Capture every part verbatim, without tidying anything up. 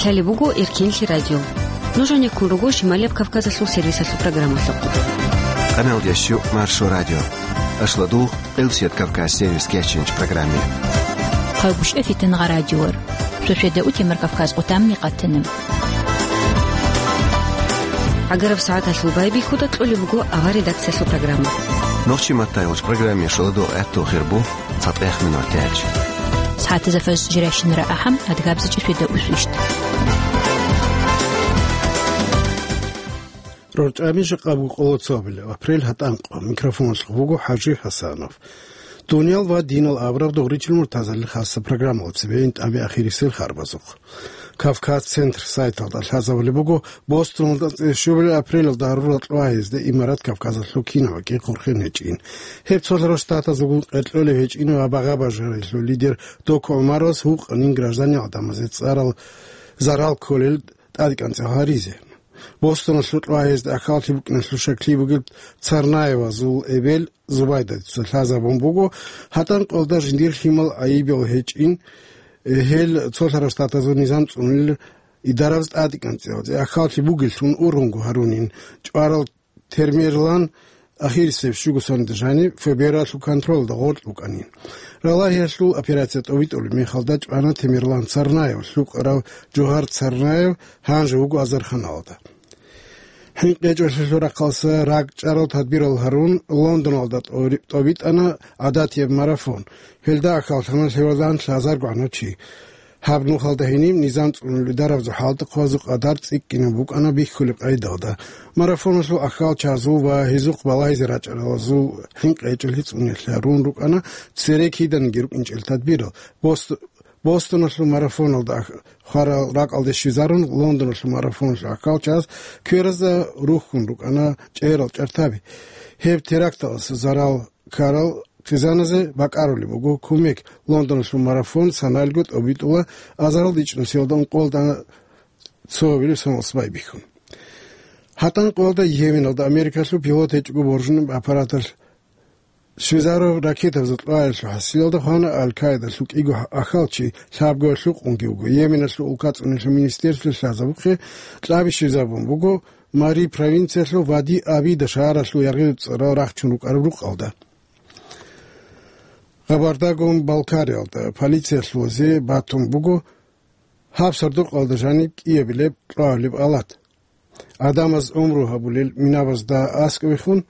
Лъалеб буго Эркенлъи радио. Нуж гьанеккун руго Шималияб Кавказалъул сервисалъул программалъухъ. Къаналдящу Маршо радио. Ашладугъ, Къилсият Кавказ сервис кеченч программе. Хъалгушев Фитангъа радиор. Шошеда утемар Кавказ къутамни къатана. ГӀагараб сагӀаталъул байбихьуда кьолеб буго авар редакциялъул программа. Нохчи маттайгъуч программе шоладо гӀатту хирбу. ЦатӀех минуталъ. СагӀатазда фажр жирайщинара ахӀам, адгабзичӀи шведа усвищт. РорчӀами жакъа буго къоло цоабилеб апрель, гьатӀанкъо. Микрофоналъухъ буго ХӀажи ХӀасанов. Дуниял ва динал абураб дугъричил муртазалил хасса программалъ цебе гьитӀаби ахирисел харбазухъ. Кавказ Центр сайталда лъазабулеб буго, Бостоналда цӀешубилеб апрелалда гьарурал кьвагьизде Имарат Кавказалъул кинабаги хъурхъен гьечӀин. Гьеб цолъарав штатазулгун къеркьолев гьечӀин ва багъа-бажарилъул лидер Доку ГӀумаровас гьукъанин гражданин гӀадамазе цӀарал зарал кколел тӀадекӀанцӀал гьаризе. Бостоналъул кьвагьизда ахьаллъи букӀиналъул щаклъи бугеб Царнаевазул эбел Зубайдатица лъазабун буго, гьатӀанкъолда жиндир лъимал гӀайибал гьечӀин, гьел цолъарав штатазул низам цӀунулел идарабаз тӀадекӀанцӀиялде ахьаллъи бугеллъун ургъунго гьарунин, чӀварал Темирлан ахирисеб щуго соналда жаниб ФБР-алъул контролда гъоркь букӀанин. Ралагьиялъул операция тӀобитӀулеб мехалда чӀвана Темирлан Царнаев, лъукъарав Жугьар Царнаев гьанже вуго азарханалда. ХӀинкъи гьечӀолъиялъул рахъалъа ракӀчӀарал тадбирал гьарун, Лондоналда тӀори-, тӀобитӀана гӀадатияб марафон. Гьелда ахьаллъана лъебалан лъазарго гӀанав чи. Гьаб нухалда гьениб низам цӀунулел дарабазул хӀалтӀухъабазул къадар цӀикӀкӀинаб букӀана бихьулеб къайдалда. Марафоналъул ахьалчазул ва гьезухъ балагьизе рачӀаралазул хӀинкъи гьечӀолъи цӀуниялъе гьарун рукӀана цере киданиги рукӀинчӀел тадбирал. Бост-, Бостоналъул марафоналда ах-, хварал ракӀалде щвезарун, Лондоналъул марафоналъул ахьалчаз кверазда рухьун рукӀана чӀерал чӀартаби. Гьеб теракталъ зарал ккарал хъизаназе бакӀарулеб буго кумек. Лондоналъул марафон саналго тӀобитӀула азарилда ичӀнусиялда ункъоялда цоабилеб соналъ байбихьун. ГьатӀанкъоялда Йеменалда Америкалъул пилот гьечӀого боржунеб аппараталъ щвезарав ракетабазул кьвагӀиялъул хӀасилалда хвана Аль-Каидалъул кӀиго ахьалчи, лъабгоялъул къунги вуго. Йеменалъул улка цӀунулъул министерствалъ лъазабухъе кьаби щвезабун буго Мари провинциялъул Вади Абида шагьаралъул яргъиб цӀарал рахчун рукӀараб рукъалда. Габардагун Балкариялда полициялъулазе батун буго гьаб сардукъалда жаниб кӀиабилеб кьвагьулеб алат. Гьадамаз гӀумру гьабулел минабазда аскӀовехун,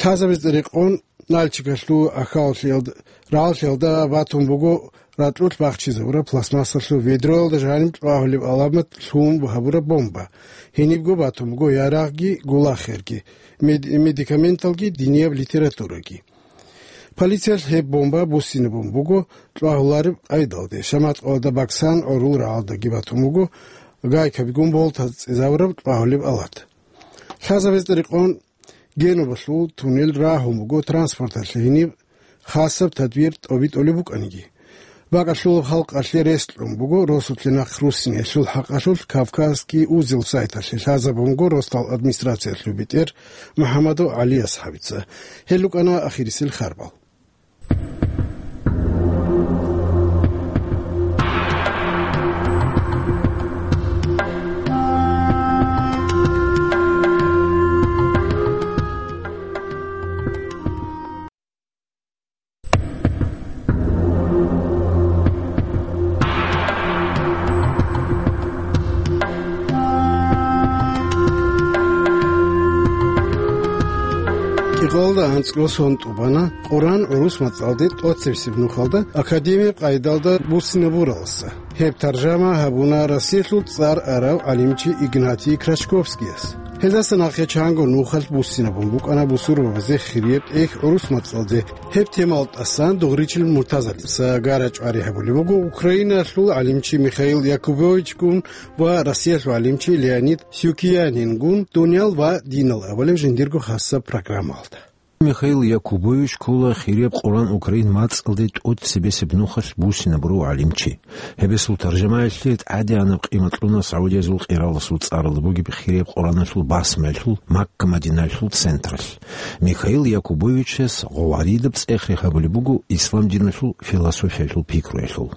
лъазабазда рекъон Нальчикалъул ахьаллъиялда, рагӀаллъиялда батун буго ракьулъ бахчизабураб пластмассалъул ведроялда жаниб кьвагьулеб гӀаламат лъун гьабураб бомба. Гьенибго батун буго ярагъги, гулахерги, мед-, медикаменталги, динияб литератураги. Полициялъ гьеб бомба буссинабун буго кьвагьулареб къайдалде. Шаматкъоялда Баксан гӀурул рагӀалдаги батун буго гайкабигун болтаз цӀезабураб кьвагьулеб алат. Лъазабазда рекъон Генубалъул туннел рагьун буго транспорталъе гьениб хасаб тадбир тӀобитӀулеб букӀаниги. БакӀалъулаб халкъалъе рес кьун буго росулъе нахъ руссиналъул хӀакъалъулъ Кавказский узел сайталъе лъазабунго Ростал администрациялъул бетӀер МухӀаммадов ГӀали асхӀабица. Гьел рукӀана ахирисел харбал. КӀикъоялда анцӀго сон тӀубана Къуръан гӀурус мацӀалде тӀоцебесеб нухалда академияб къайдалда буссинабураласа. Гьеб таржама гьабуна Россиялъул цӀар арав гӀалимчи Игнатий Крачковскияс. Гьелдаса нахъе чанго нухалъ буссинабун букӀана бусурбабазе хирияб тӀехь гӀурус мацӀалде. Гьеб темал тӀасан дугъричил муртазалица гара-чӀвари гьабулеб буго Украиналъул гӀалимчи Михаил Якубовичгун ва Россиялъул гӀалимчи Леонид Сюкиянингун дуниял ва динал абулеб жиндирго хасаб программалда. Михаил Якубович ккола хирияб Къуръан Украин мацӀалде тӀоцебесеб нухалъ буссинабурав гӀалимчи. Гьебесул таржамаялъе тӀадегӀанаб къимат кьуна Саудиязул къираласул цӀаралда бугеб хирияб Къуръаналъул басмаялъул Макка-Мадинаялъул централъ. Михаил Якубовичас гъоваридаб цӀех рехабулеб буго ислам диналъул философиялъул пикруялъул.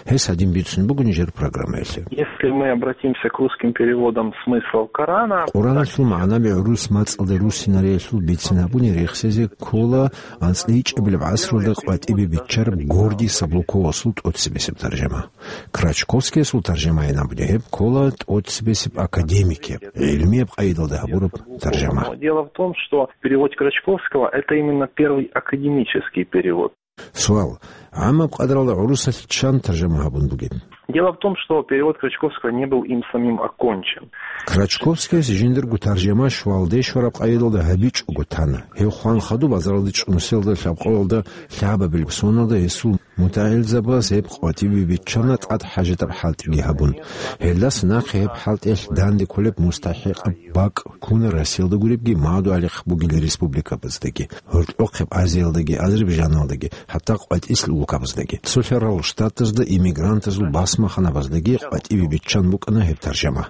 Гьес гьадин бицун буго нижер программаялъе. Если мы обратимся к русским переводам смыслов Корана, Къураналъул магӀнаби гӀурус мацӀалда руссинариялъул бицин гьабуни рехсезе ккола анцӀила гьечӀебилеб гӀасралда къватӀибе биччараб Гордий Саблуковасул тӀоцебесеб таржама. Крачковскиясул таржамайин абуни гьеб ккола тӀоцебесеб академикияб, гӀилмияб къайдалда гьабураб таржама. Но дело в том, что перевод Крачковского — это именно первый академический перевод. Суал. ГӀаммаб къадралда гӀурусалъ чан таржама гьабун бугеб? Дело в том, что перевод Крачковского не был им самим окончен. Крачковскияс жиндирго таржама щвалде щвараб къайдалда гьабичӀого тана. Гьев хван хадуб базаралде чӀун, селда лъабкъоялда лъабабилеб соналда гьесул мутагӀилзабаз гьеб къватӀибе биччана тӀад хӀажатаб хӀалтӀиги гьабун. Гьелдаса нахъе гьеб хӀалтӀиялъ данде кколеб мустахӀикъаб бакӀ ккуна Россиялда гуребги, Магьадугьалихъ бугел республикабаздаги, гьоркьохъеб Азиялдаги, Азербайджаналдаги, хӀатта къватӀислъ улкабаздаги. Цо лъарал Штатазда иммигрантазул басмаханабаздаги къватӀибе биччан букӀана гьеб таржама.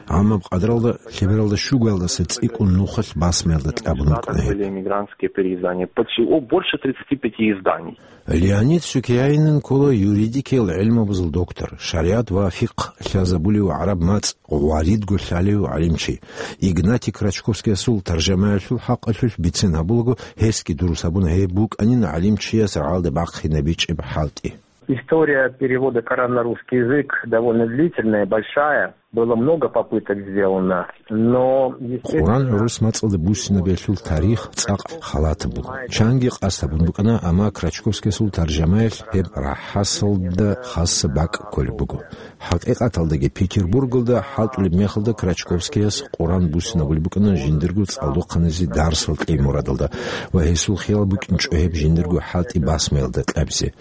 ГӀаммаб къадралда лъебералда щугоялдаса цӀикӀкӀун нухалъ басмаялда кьабун букӀана гьеб. Были эмигрантские переиздания. Почти, о, больше тридцати пяти изданий. Леонид Сюкеяинин ккола юридикиял гӀилмабазул доктор, шаригӀат ва фикъгь лъазабулев, гӀараб мацӀ гъваридго лъалев гӀалимчи. Игнатий Крачковскиясул таржамаялъул хӀакъалъулъ бицен гьабулаго, гьесги дурус гьабуна гьеб букӀанин гӀалимчияс рагӀалде бахъинабичӀеб хӀалтӀи. История перевода Корана на русский язык довольно длительная, большая. Было много попыток сделано, но, естественно, Къуран гӀурус мацӀалда буссинабиялъул тарих цӀакъ халатаб буго. Чанги къасд гьабун букӀана, амма Крачковскиясул таржамаялъ гьеб рахӀасалда хасса бакӀ кколеб буго. ХӀакъикъаталдаги, Петербургалда хӀалтӀулеб мехалда Крачковскияс Къуран буссинабулеб букӀана жиндирго цӀалдохъаназе дарсал кьей мурадалда ва гьесул хиял букӀинчӀо гьеб жиндирго хӀалтӀи басмаялда кьабизе.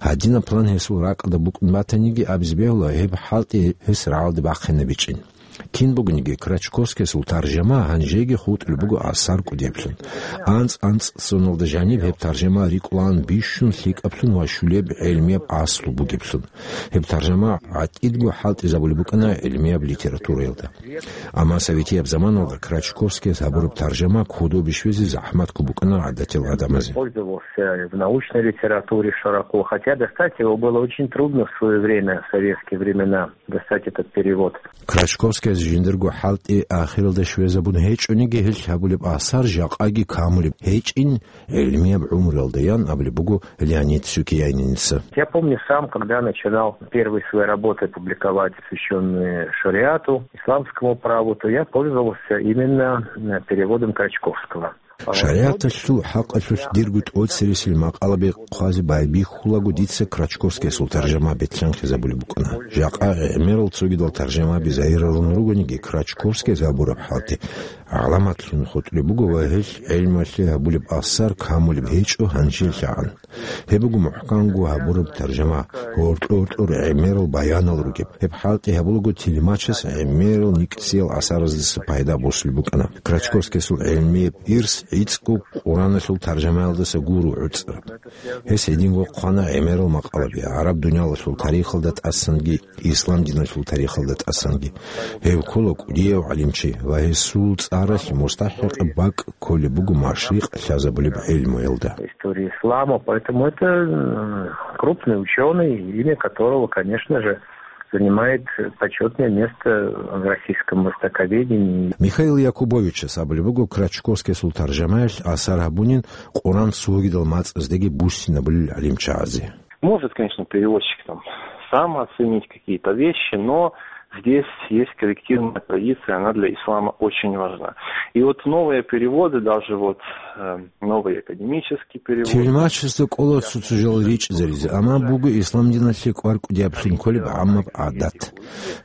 Гьадинаб план гьесул ракӀалда букӀун батаниги, абизе бегьула, гьеб хӀалтӀи гьес рагӀалде бахъинабичӀин. Кин бугониги, Крачковскиясул таржама гьанжеги хутӀулеб буго асар кӀудияблъун. АнцӀ-анцӀ соналда жаниб гьеб таржама рикӀкӀулаан бищун лъикӀаблъун ва щулеб гӀелмияб аслу бугеблъун. Гьеб таржама гӀатӀидго хӀалтӀизабулеб букӀана гӀелмияб литератураялда. Амма советияб заманалда Крачковскияс гьабураб таржама кодобе щвезе захӀматго букӀана гӀадатиял гӀадамазе. Пользовался в научной литературе широко, хотя достать его было очень трудно в своё время, в советские времена, достать этот перевод. Крачковскияс жиндирго хӀалтӀи ахиралда щвезабун гьечӀониги, гьелъ гьабулеб асар жакъаги камулеб гьечӀин гӀелмияб гӀумруялда, ян абулеб буго Леонид Сюкияйниница. Я помню сам, когда начинал первые свои работы публиковать, посвящённые шариату, исламскому праву, то я пользовался именно, э, переводом Крачковского. ШаригӀаталъул хӀакъалъулъ дирго тӀоцересел макъалаби хъвазе байбихьулаго дица Крачковскиясул таржама бетӀлъанхъизабулеб букӀана. Жакъа гӀемерал цогидал таржамаби загьиралъун ругониги, Крачковскияс гьабураб хӀалтӀи гӀаламатлъун хутӀулеб буго ва гьелъ гӀелмалъе гьабулеб асар камулеб гьечӀо гьанжелъагӀан. Гьеб буго мухӀканго гьабураб таржама, гьоркьор-гьоркьор гӀемерал баянал ругеб. Гьеб хӀалтӀи гьабулаго тилмачас гӀемерал никӀсиял асараздаса пайда босулеб букӀана. Крачковскиясул гӀелмияб ирс гӀицӀго Къураналъул таржамаялдаса гуро гӀуцӀараб. Гьес гьединго хъвана гӀемерал макъалаби, гӀараб дуниялалъул тарихалда тӀасанги, ислам диналъул тарихалда тӀасанги. Гьев ккола кӀудияв гӀалимчи ва гьесул цӀаралъ мустахӀикъаб бакӀ кколеб буго машрикъ лъазабулеб гӀелмуялда. История ислама, поэтому это, м, крупный учёный, имя которого, конечно же, занимает почётное место в российском востоковедении. Михаил Якубовичас абулеб буго Крачковскиясул таржамаялъ асар гьабунин Къуран цогидал мацӀаздеги буссинабулел гӀалимчагӀазе. Может, конечно, переводчик там сам оценить какие-то вещи, но здесь есть коллективная традиция, она для ислама очень важна. И вот новые переводы, даже вот, э, новый академический перевод. Тилмачасда кӀола цо-цо жал ричӀзаризе, амма буго ислам диналъе кӀвар кӀудияблъун кколеб гӀаммаб гӀадат.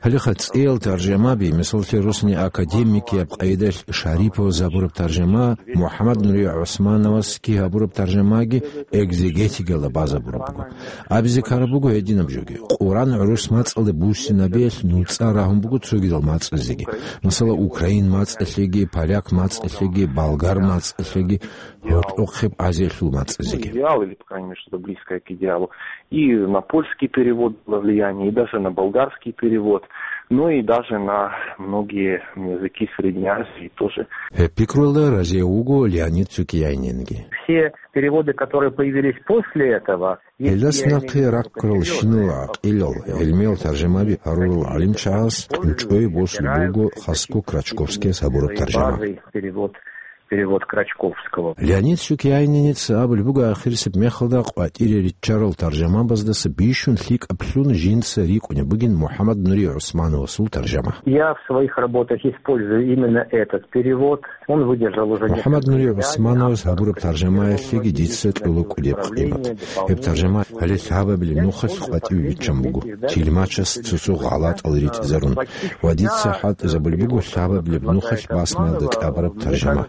Гьалеха цӀиял таржамаби, мисаллъе, росни академикияб къайдалъ Шариповаз гьабураб таржама, МухӀаммад Нури ГӀусмановасги гьабураб таржамаги экзегетикалда базабураб буго. Абизе ккараб буго гьединаб жоги. Къуран гӀурус мацӀалда буссинабиялъ нуцӀа рагьун буго цогидал мацӀазеги. Масала, украин мацӀалъеги, поляк мацӀалъеги, болгар мацӀалъеги, гьоркьохъеб Азиялъул мацӀазеги. Идеал или, по крайней мере, что-то близкое к идеалу. И на польский перевод было влияние, и даже на болгарский перевод. Ну и даже на многие языки Средней Азии тоже. Гьеб пикруялда разияв вуго Леонид Сукияйнинги. Все переводы, которые появились после этого, Гьелдаса нахъе раккарал щинал гӀакъилал, гӀилмиял таржамаби гьарурал гӀалимчагӀаз тӀучӀой босулеб буго хасго Крачковскияс гьабураб таржама. Перевод, перевод Крачковского. Леонид Сукияйниница абулеб буго, ахирисеб мехалда къватӀире риччарал таржамабаздаса бищун лъикӀаблъун жинца рикӀкӀунеб бугин МухӀаммад Нури ГӀусмановасул таржама. Я в своих работах использую именно этот перевод. Он выдержал уже несколько изданий. МухӀаммад Нури ГӀусмановас гьабураб таржамаялъеги дица кьола кӀудияб къимат. Гьеб таржама гьале лъабабилеб нухалъ къватӀиве биччан буго, тилмачас цо-цо гъалатӀал ритӀизарун, ва дица хӀалтӀизабулеб буго лъабабилеб нухалъ басмаялда кьабараб таржама.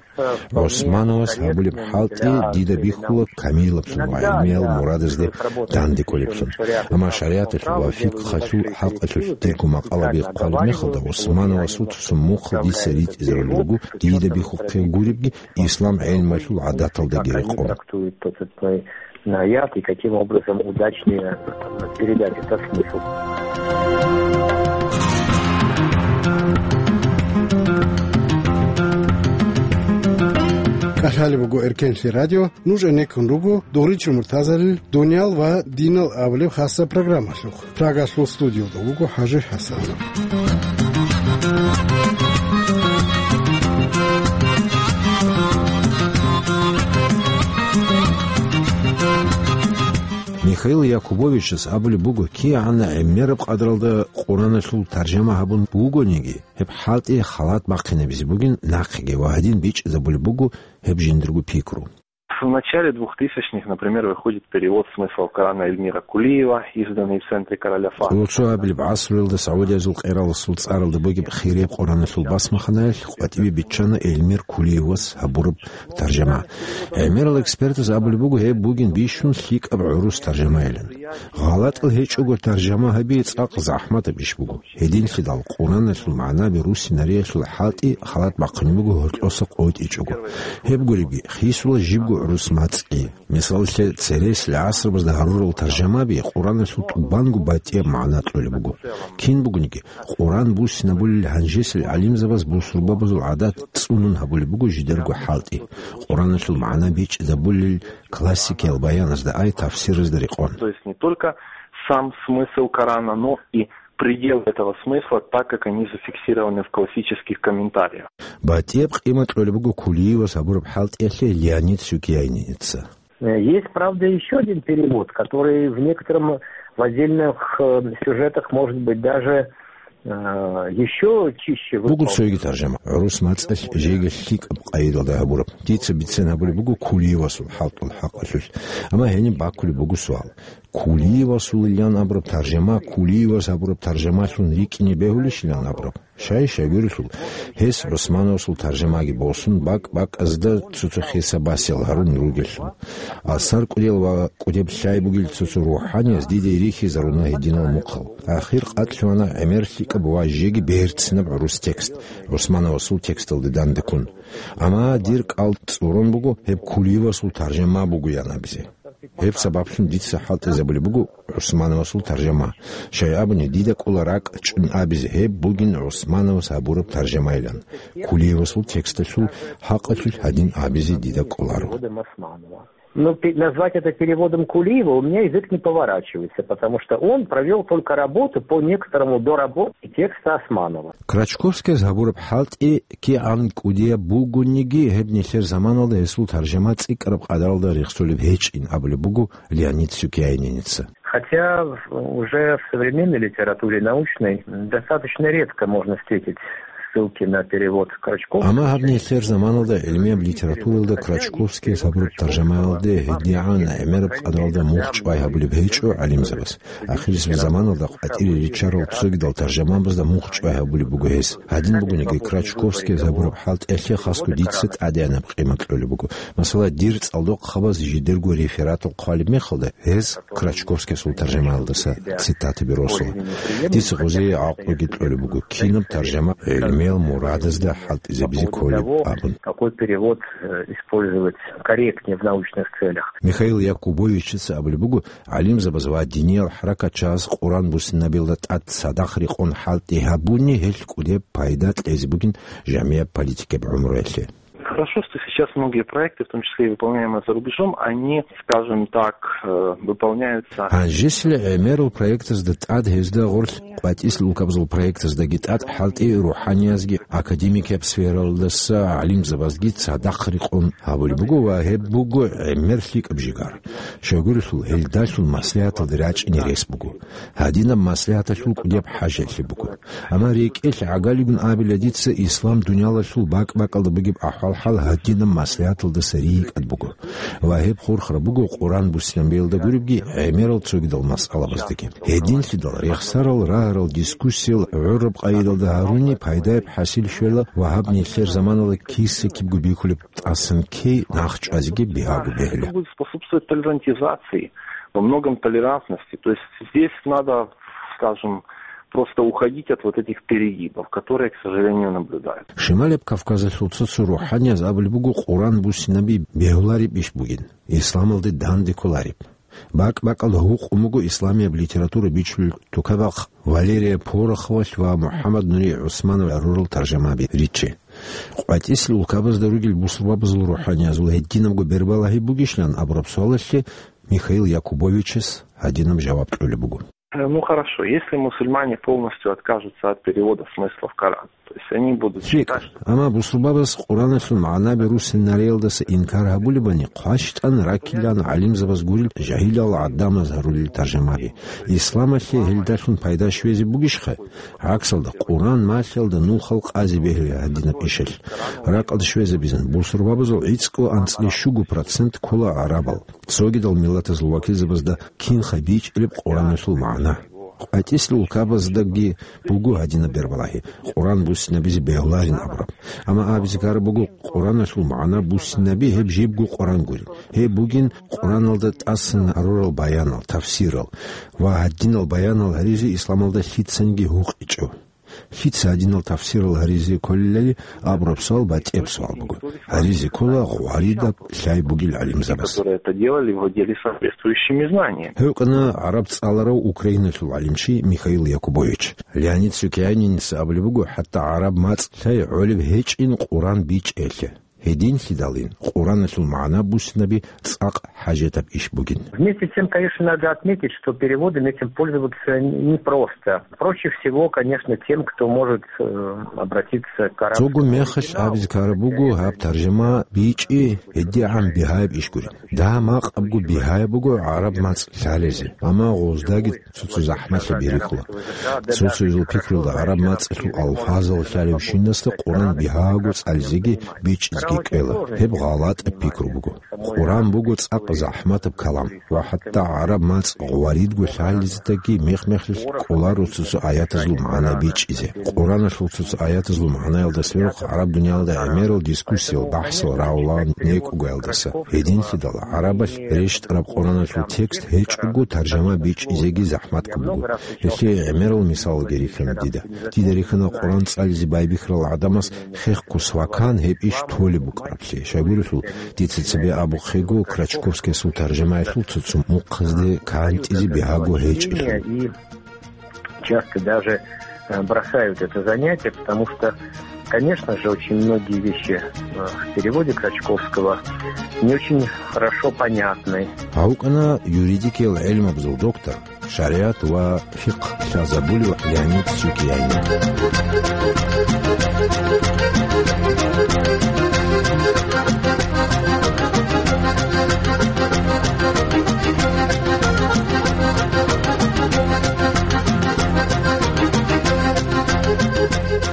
ГӀусмановас гьабулеб хӀалтӀи дида бихьула камиллъун ва гӀилмиял мурадазде данде кколеблъун. Амма шаригӀаталъул ва фикъгьалъул хӀакъалъулъ дирго макъалаби хъвалеб мехалда, ГӀусмановасул цо-цо мухъал дица ритӀизарулел руго, дида бихьухъе гуребги, ислам гӀелмалъул гӀадаталдаги рекъон. Трактует тот или иной аят и каким образом удачнее передать этот смысл. КӀалъалеб буго Эркенлъи радио, нуж гӀенеккун руго Дугъричил муртазарил дуниял ва динал абулеб хасаб программалъухъ. Прагалъул студиялда вуго ХӀажи ХӀасанов. Михаил Якубовичас абулеб буго, кигӀан гӀемераб къадралда Къураналъул таржама гьабун бугониги, гьеб хӀалтӀи халат бахъинабизе бугин нахъеги ва гьадин бичӀчӀизабулеб буго гьеб жиндирго пикру. В начале двухтысячных, например, выходит перевод «Смысл Корана» Эльмира Кулиева, изданный в Центре Короля Фахда. Кьурцу абилеб гӀасруялда Саудиязул къераласул цӀаралда бугеб хирияб Къураналъул басмаханаялъ къватӀиве биччана Эльмир Кулиевас гьабураб таржама. ГӀемерал экспертаз абулеб буго, гьеб бугин бищун лъикӀаб гӀурус таржамайилан. ГъалатӀал гьечӀого таржама гьаби цӀакъ захӀматаб иш буго. Гьединлъидал Къураналъул магӀнаби руссинариялъул хӀалтӀи халат бахъунеб буго гьоркьоса къотӀичӀого. Гьеб гуребги, хисула жибго гӀурус мацӀги. Мисалалъе, цересел гӀасрабазда гьарурал таржамаби Къураналъул тӀубанго батӀияб магӀна кьолеб буго. Кин бугониги, Къуран буссинабулел гьанжесел гӀалимзабаз бусурбабазул гӀадат цӀунун гьабулеб буго жидерго хӀалтӀи. Къураналъул магӀна бичӀчӀизабулел классикиял баяназда ай тафсиразда рекъон. То есть не только сам смысл Корана, но и пределы этого смысла, так как они зафиксированы в классических комментариях. БатӀияб къимат кьолеб буго Кулиевас гьабураб хӀалтӀиялъе Леонид Сукияйниница. Э, есть, правда, ещё один перевод, который в некотором, в отдельных, э, сюжетах, может быть, даже, э, ещё чище выполнен. Буго цоги таржама, гӀурус мацӀалъ жеги лъикӀаб къайдалда гьабураб. Дица бицен гьабулеб буго Кулиевасул хӀалтӀул хӀакъалъулъ. Амма гьениб бакулеб буго суал. Кулиевасулилан абураб таржама Кулиевас гьабураб таржамалъун рикӀкӀине бегьулищилан абураб? Щай-щай гурелъул, гьес ГӀусмановасул таржамаги босун, бакӀ-бакӀазда цо-цо хиса-басиял гьарун ругелъул. Асар кӀудиял ва кӀудияб лъай бугел цо-цо рухӀанияз дида рихьизаруна гьединал мухъал. Ахир къватӀлъугьана гӀемер лъикӀаб ва жеги берцинаб гӀурус текст, ГӀусмановасул тексталде дандеккун. Амма дир кӀал цӀурун буго гьеб Кулиевасул таржама бугоян абизе. Гьеб сабаблъун дица хӀалтӀизабулеб буго ГӀусмановасул таржама. Щай абуни, дида кӀола ракӀ чӀун абизе гьеб бугин ГӀусмановас гьабураб таржамайилан. Кулиевасул тексталъул хӀакъалъулъ гьадин абизе дида кӀоларо. Ну, пе-, назвать это переводом Кулиева у меня язык не поворачивается, потому что он провёл только работу по некоторому доработке текста Османова. Крачковскияс гьабураб хӀалтӀи кигӀан кӀудияб бугониги, гьеб нилъер заманалда гьесул таржама цӀикӀкӀараб къадаралда рехсолеб гьечӀин абулеб буго Леонид Сукияйниница. Хотя уже в современной литературе научной достаточно редко можно встретить ссылки на перевод Крачковского. Амма гьаб нилъер заманалда гӀилмияб литературалда Крачковскияс гьабураб таржамаялде гьедигӀан гӀемераб къадаралда мухь чӀвай гьабулеб гьечӀо гӀалимзабаз. Ахирисеб заманалда къватӀире риччарал цогидал таржамабазда мухь чӀвай гьабулеб буго гьес. Гьадин бугониги, Крачковскияс гьабураб хӀалтӀиялъе хасго дица тӀадегӀанаб къимат кьолеб буго. Масала, дир цӀалдохъабаз жидерго рефератал хъвалеб мехалда, гьез Крачковскиясул таржамаялдаса цитатаби росула. Дица гъозие гӀакълуги кьолеб буго, кинаб таржама гӀилму гӀемерал мурадазда хӀалтӀизабизе кколеб абун. Какой перевод, э, использовать корректнее в научных целях? Михаил Якубовичица абулеб буго, гӀалимзабаз ва диниял хӀаракатчагӀаз Къуран буссинабилда тӀад цадахъ рекъон хӀалтӀи гьабуни гьелъ кӀудеб пайда кьезе бугин жамияб политикаб гӀумруялъе. Хорошо, что сейчас многие проекты, в том числе и выполняемые за рубежом, они, скажем так, э, выполняются. Гьанжеси гӀемерал проектазда тӀад гьезда гъорлъ къватӀисел улкабазул проектаздаги тӀад хӀалтӀи рухӀаниязги академикаб сфералдаса гӀалимзабазги цадахъ рекъон гьабулеб буго ва гьеб буго гӀемер лъикӀаб жигар. Щайгурелъул гьелдалъун маслигӀаталде рачӀине рес буго. Гьадинаб маслигӀаталъул кӀудияб хӀажалъи буго. Амма рекӀелъ гӀагалигун абила дица, ислам дуниялалъул бакӀ-бакӀалда бугеб ахӀвал-хӀал гьадинаб маслигӀаталдаса ригьикӀад буго. Ва гьеб хурхараб буго Къуран буссинабиялда гуребги, гӀемерал цогидал масъалабаздаги. Гьединлъидал рехсарал, рагьарал, дискуссиял гӀураб къайдалда гьаруни пайдаяб хӀасил щвела ва гьаб нилъер заманала киса-кибго бихьулеб тӀасан ккей нахчӀвазеги бигьаго бегьула. Будет способствовать толерантизации, во многом толерантности. То есть здесь надо, скажем, просто уходить от вот этих перегибов, которые, к сожалению, наблюдаются. Шималаб Кавказалъул цо-цо рухӀанияз абулеб буго Къуран буссинаби бегьулареб иш бугин, исламалде данде кколареб. БакӀ-бакӀал гьукъун буго исламияб литература бичулел тукабахъ Валерия Пороховалъ ва МухӀаммад Нури ГӀусманов гӀурал таржамаби риччи. КъватӀисел улкабазда ругел бусурбабазул рухӀаниязул гьединабго бербалагьи бугищилан абураб суалалъе Михаил Якубовичас гьадинаб жаваб кьолеб буго. Э, ну, хорошо, если мусульмане полностью откажутся от перевода смыслов Корана, то есть они будут считать, что... Амма бусурбабаз Къураналъул магӀнаби руссинариялдаса инкар гьабулебани, хъващтӀан раккилан гӀалимзабаз гурел жагьилал гӀадамаз гьарулел таржамаби. Исламалъе гьелдалъун пайда щвезе бугищха? ГӀаксалда, Къуран малъиялда нухал къазе бегьула гьадинаб ишалъ. Ракъалда щвезабизан, бусурбабазул гӀицӀго анцӀила щуго процент ккола гӀарабал. Цогидал миллатазул вакилзабазда кинха бичӀчӀилеб Къураналъул магӀна. КъватӀисел улкабаздаги буго гьадинаб бербалагьи, Къуран буссинабизе бегьуларин абураб. Амма абизе ккараб буго, Къураналъул магӀна буссинаби гьеб жибго Къуран гурин. Гьеб бугин Къураналда тӀасан гьарурал баянал, тафсирал ва гьадинал баянал гьаризе исламалда лъицаниги гьукъичӀо. Лъица гьадинал тафсирал гьаризе кколелали абураб суал батӀияб суал буго. Гьаризе ккола гъваридаб лъай бугел гӀалимзабаз. Которые это делали, владели соответствующими знаниями. Гьев кӀана гӀараб цӀаларав Украиналъул гӀалимчи Михаил Якубович. Леонид Сюкяниница абулеб буго, хӀатта гӀараб мацӀ лъай гӀолеб гьечӀин Къуран бичӀчӀиялъе. Гьединлъидалин, Къураналъул магӀна буссинаби цӀакъ хӀажатаб иш бугин. Вместе с тем, конечно, надо отметить, что переводами этим пользоваться непросто. Проще всего, конечно, тем, кто может, э, обратиться к арабскому оригиналу. Цого мехалъ абизе ккараб буго, гьаб таржама бичӀчӀи гьедигӀан бигьаяб иш гурин. Дагьа-макъабго бигьаяб буго гӀараб мацӀ лъалезе, амма гъоздаги цо-цо захӀмалъи бихьула. Цо-цоязул пикрулда гӀараб мацӀалъул алфазал лъалевщинасда Къуран бигьаго цӀализеги бичӀчӀизеги кӀела. Гьеб гъалатӀаб пикру буго. Къуран буго цӀакъ захӀматаб калам, ва хӀатта гӀараб мацӀ гъваридго лъалездаги мех-мехалъ кӀоларо цо-цо аятазул магӀна бичӀчӀизе. Къураналъул цо-цо аятазул магӀнаялда сверухъ гӀараб дуниялда гӀемерал дискуссиял, бахӀсал рагӀула некӀугоялдаса. Гьединлъидал гӀарабалъ рещтӀараб Къураналъул текст гьечӀого таржама бичӀчӀизеги захӀматго буго. Гьелъие гӀемерал мисалалги рихьана дида. Дида рихьана Къуран цӀализе байбихьарал гӀадамас хехго свакан гьеб иш толеб букӀараблъи. Щайгурелъул, дица цебе абухъего Крачковскиясул таржамаялъул цо-цо мухъазде кантӀизе бигьаго гьечӀелъул. И часто даже, э, бросают это занятие, потому что, конечно же, очень многие вещи, э, в переводе Крачковского не очень хорошо понятны. Гьав вукӀана юридикиял гӀелмабазул доктор, шаригӀат ва фикъгь лъазабулев Леонид Сюкьянин.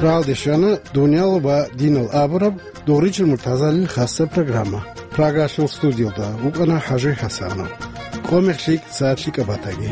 Рагьалде щвана «Дуниял ва динал» абураб Дугъричил муртазалил хасса программа. Прагалъул студиялда вукӀана ХӀажи ХӀасанов. Къо-мех лъикӀ, сагӀат лъикӀаб батаги.